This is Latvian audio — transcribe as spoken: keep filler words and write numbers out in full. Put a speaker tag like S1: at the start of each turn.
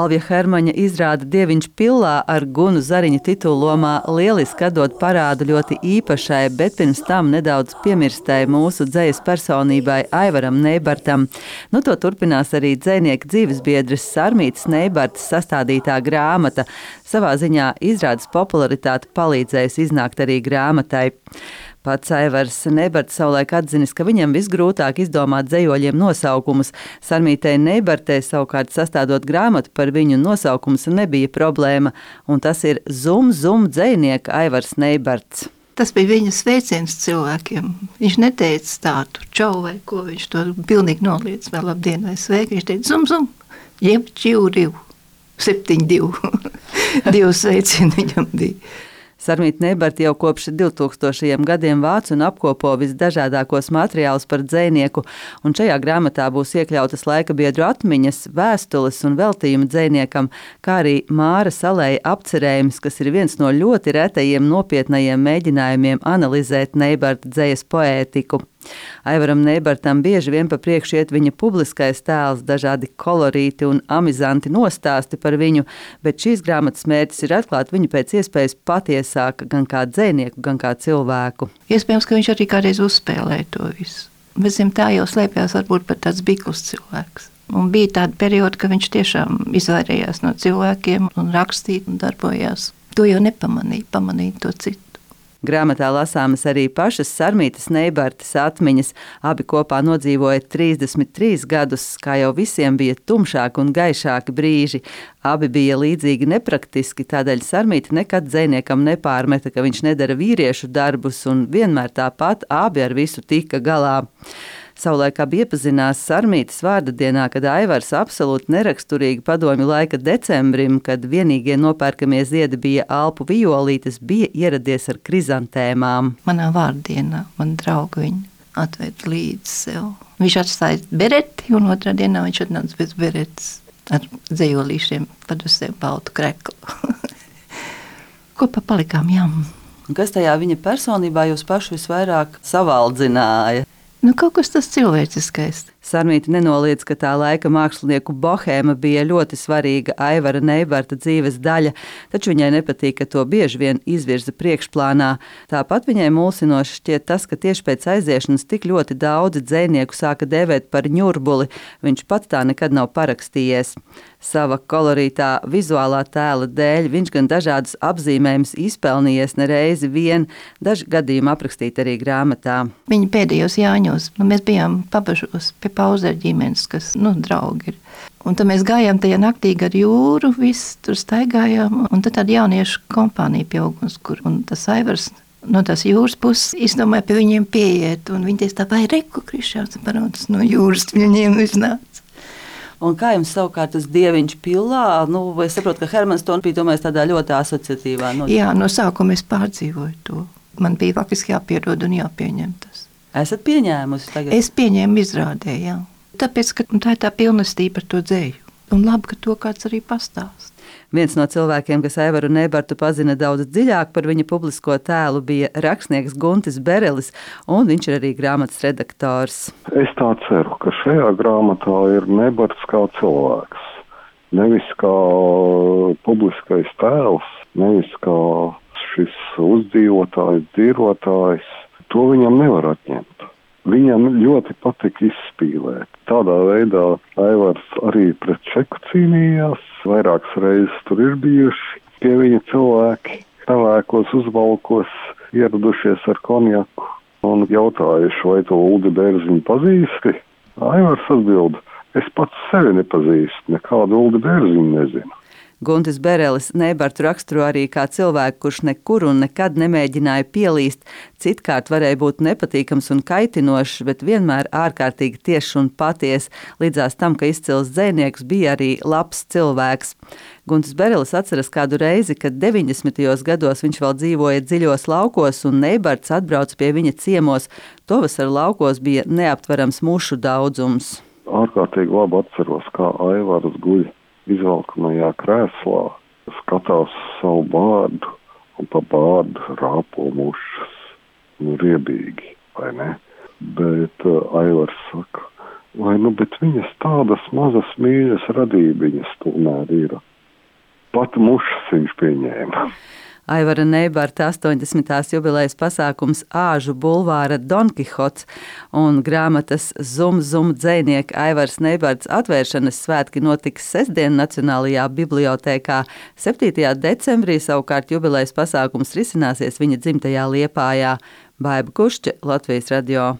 S1: Alvija Hermaņa izrāda Dieviņš pillā ar Gunu Zariņu titullomā lieliski atdod parādu ļoti īpašai, bet pirms tam nedaudz piemirstai mūsu dzejas personībai Aivaram Neibartam. Nu, to turpinās arī dzejnieka dzīvesbiedres Sarmītas Neibartas sastādītā grāmata. Savā ziņā izrādes popularitāte palīdzējusi iznākt arī grāmatai. Pats Aivars Neibarts savulaik atzinis, ka viņam visgrūtāk izdomāt dzejoļiem nosaukumus. Sarmītei Neibartei savukārt sastādot grāmatu par viņu nosaukums nebija problēma, un tas ir Zum Zum dzejnieka Aivars Neibarts.
S2: Tas bija viņa sveiciens cilvēkiem. Viņš neteica tādu čau vai ko, viņš to pilnīgi noliec vēl labdien vai sveiki. Viņš teica Zum Zum, jeb čiu divu, septiņu divu. Divu sveicienu viņam bija.
S1: Sarmīta Neibarta jau kopš divtūkstošajiem gadiem vāc un apkopo visdažādākos materiālus par dzejnieku, un šajā grāmatā būs iekļautas laika biedru atmiņas, vēstules un veltījumi dzejniekam, kā arī Māra Salēja apcerējums, kas ir viens no ļoti retajiem nopietnajiem mēģinājumiem analizēt Neibarta dzejas poētiku. Aivaram Neibartam bieži vien pa priekšu iet viņa publiskais tēls, dažādi kolorīti un amizanti nostāsti par viņu, bet šīs grāmatas mērķis ir atklāt viņu pēc iespējas patiesāk, gan kā dzejnieku, gan kā cilvēku.
S2: Iespējams, ka viņš arī kādreiz uzspēlēja to visu. Bet zem tā jau slēpjās varbūt pat tāds bikls cilvēks. Un bija tāda perioda, ka viņš tiešām izvairījās no cilvēkiem un rakstīja un darbojās. To jau nepamanīja, pamanīja to citu.
S1: Grāmatā lasāmas arī pašas Sarmītas Neibartas atmiņas. Abi kopā nodzīvoja trīsdesmit trīs gadus, kā jau visiem bija tumšāki un gaišāki brīži. Abi bija līdzīgi nepraktiski, tādēļ Sarmīta nekad dzejniekam nepārmeta, ka viņš nedara vīriešu darbus, un vienmēr tāpat abi ar visu tika galā. Savulaik abi iepazinās Sarmītas vārda dienā, kad Aivars absolūti neraksturīgi padomju laika decembrim, kad vienīgie nopērkamie ziedi bija alpu violītes, bija ieradies ar krizantēmām.
S2: Manā vārdienā man draugu viņu atved līdzi sev. Viņš atstāja bereti, un otrā dienā viņš atnāca bez beretes ar dzejolīšiem pat uz sevi baltu kreklu. Kopā palikām jām.
S1: Un kas tajā viņa personībā jūs pašu visvairāk savaldzināja?
S2: Nu, kaut kas tas cilvēciskais.
S1: Sarmīta nenoliedz, ka tā laika mākslinieku bohēma bija ļoti svarīga Aivara Neibarta dzīves daļa, taču viņai nepatīk, ka to bieži vien izvirza priekšplānā. Tāpat viņai mulsinoši šķiet tas, ka tieši pēc aiziešanas tik ļoti daudzi dzejnieku sāka dēvēt par ņurbuli. Viņš pats tā nekad nav parakstījies. Sava kolorītā vizuālā tēla dēļ viņš gan dažādus apzīmējumus izpelnījies nereizi vien, daži gadījumi aprakstīt arī grāmatā.
S2: Viņa pēdējos Jāņos, nu, mēs bijām pabažos pie Pauzeru ģimenes, kas, nu, draugi ir. Un tad mēs gājām tajā naktī gar jūru, visi tur staigājām, un tad tāda jauniešu kompānija pie ugunskura, un tas Aivars no tās jūras puses izdomāja pie viņiem pieiet, un viņi teica tā, vai reku Krišāns paraudas no jūras, viņiem iznāca.
S1: Un kā jums savukārt tas Dieviņš pillā? Nu, es saprotu, ka Hermans to bija domājis tādā ļoti asociatīvā nozīmē.
S2: Jā, no sākuma es pārdzīvoju to. Man bija faktiski jāpiedod un jāpieņem tas.
S1: Esat pieņēmusi tagad?
S2: Es pieņēmu izrādē, jā. Tāpēc, ka tā ir tā pilnestība par to dzēju. Un labi, ka to kāds arī pastāst.
S1: Viens no cilvēkiem, kas Aivaru Neibartu pazina daudz dziļāk par viņa publisko tēlu, bija rakstnieks Guntis Berelis, un viņš ir arī grāmatas redaktors.
S3: Es tā ceru, ka šajā grāmatā ir Neibarts kā cilvēks. Nevis kā publiskais tēls, nevis kā šis uzdzīvotājs, dzīvotājs. To viņam nevar atņemt. Viņam ļoti patika izspīlēt. Tādā veidā Aivars arī pret Čeku cīnījās. Vairākas reizes tur ir bijuši pie viņa cilvēki, pelēkos uzvalkos, ieradušies ar konjaku un jautājuši, vai to Uldi Bērziņu pazīsti. Aivars atbild, es pats sevi nepazīstu, nekādu Uldi Bērziņu nezinu.
S1: Guntis Berelis Neibartu raksturo arī kā cilvēku, kurš nekur un nekad nemēģināja pielīst, citkārt varēja būt nepatīkams un kaitinošs, bet vienmēr ārkārtīgi tiešs un paties, līdzās tam, ka izcils dzejnieks bija arī labs cilvēks. Guntis Berelis atceras kādu reizi, kad deviņdesmitajos gados viņš vēl dzīvoja dziļos laukos un Neibarts atbrauc pie viņa ciemos. Tovasar laukos bija neaptverams mušu daudzums.
S3: Ārkārtīgi labi atceros, kā Aivars guļ izvalkamajā krēslā, skatās savu bārdu un pa bārdu rāpo mušas. Nu, riebīgi, vai ne? Bet uh, Aivars saka, Vai, nu, bet viņas tādas mazas mīļas radībiņas tomēr ir. Pat mušas viņš pieņēma.
S1: Aivara Neibarta astoņdesmitās jubilejas pasākums Āžu bulvāra Don Kihots un grāmatas Zum Zum dzejnieka Aivars Neibarts atvēršanas svētki notiks sestdien Nacionālajā bibliotēkā. septītajā decembrī savukārt jubilejas pasākums risināsies viņa dzimtajā Liepājā. Baiba Kušķe, Latvijas radio.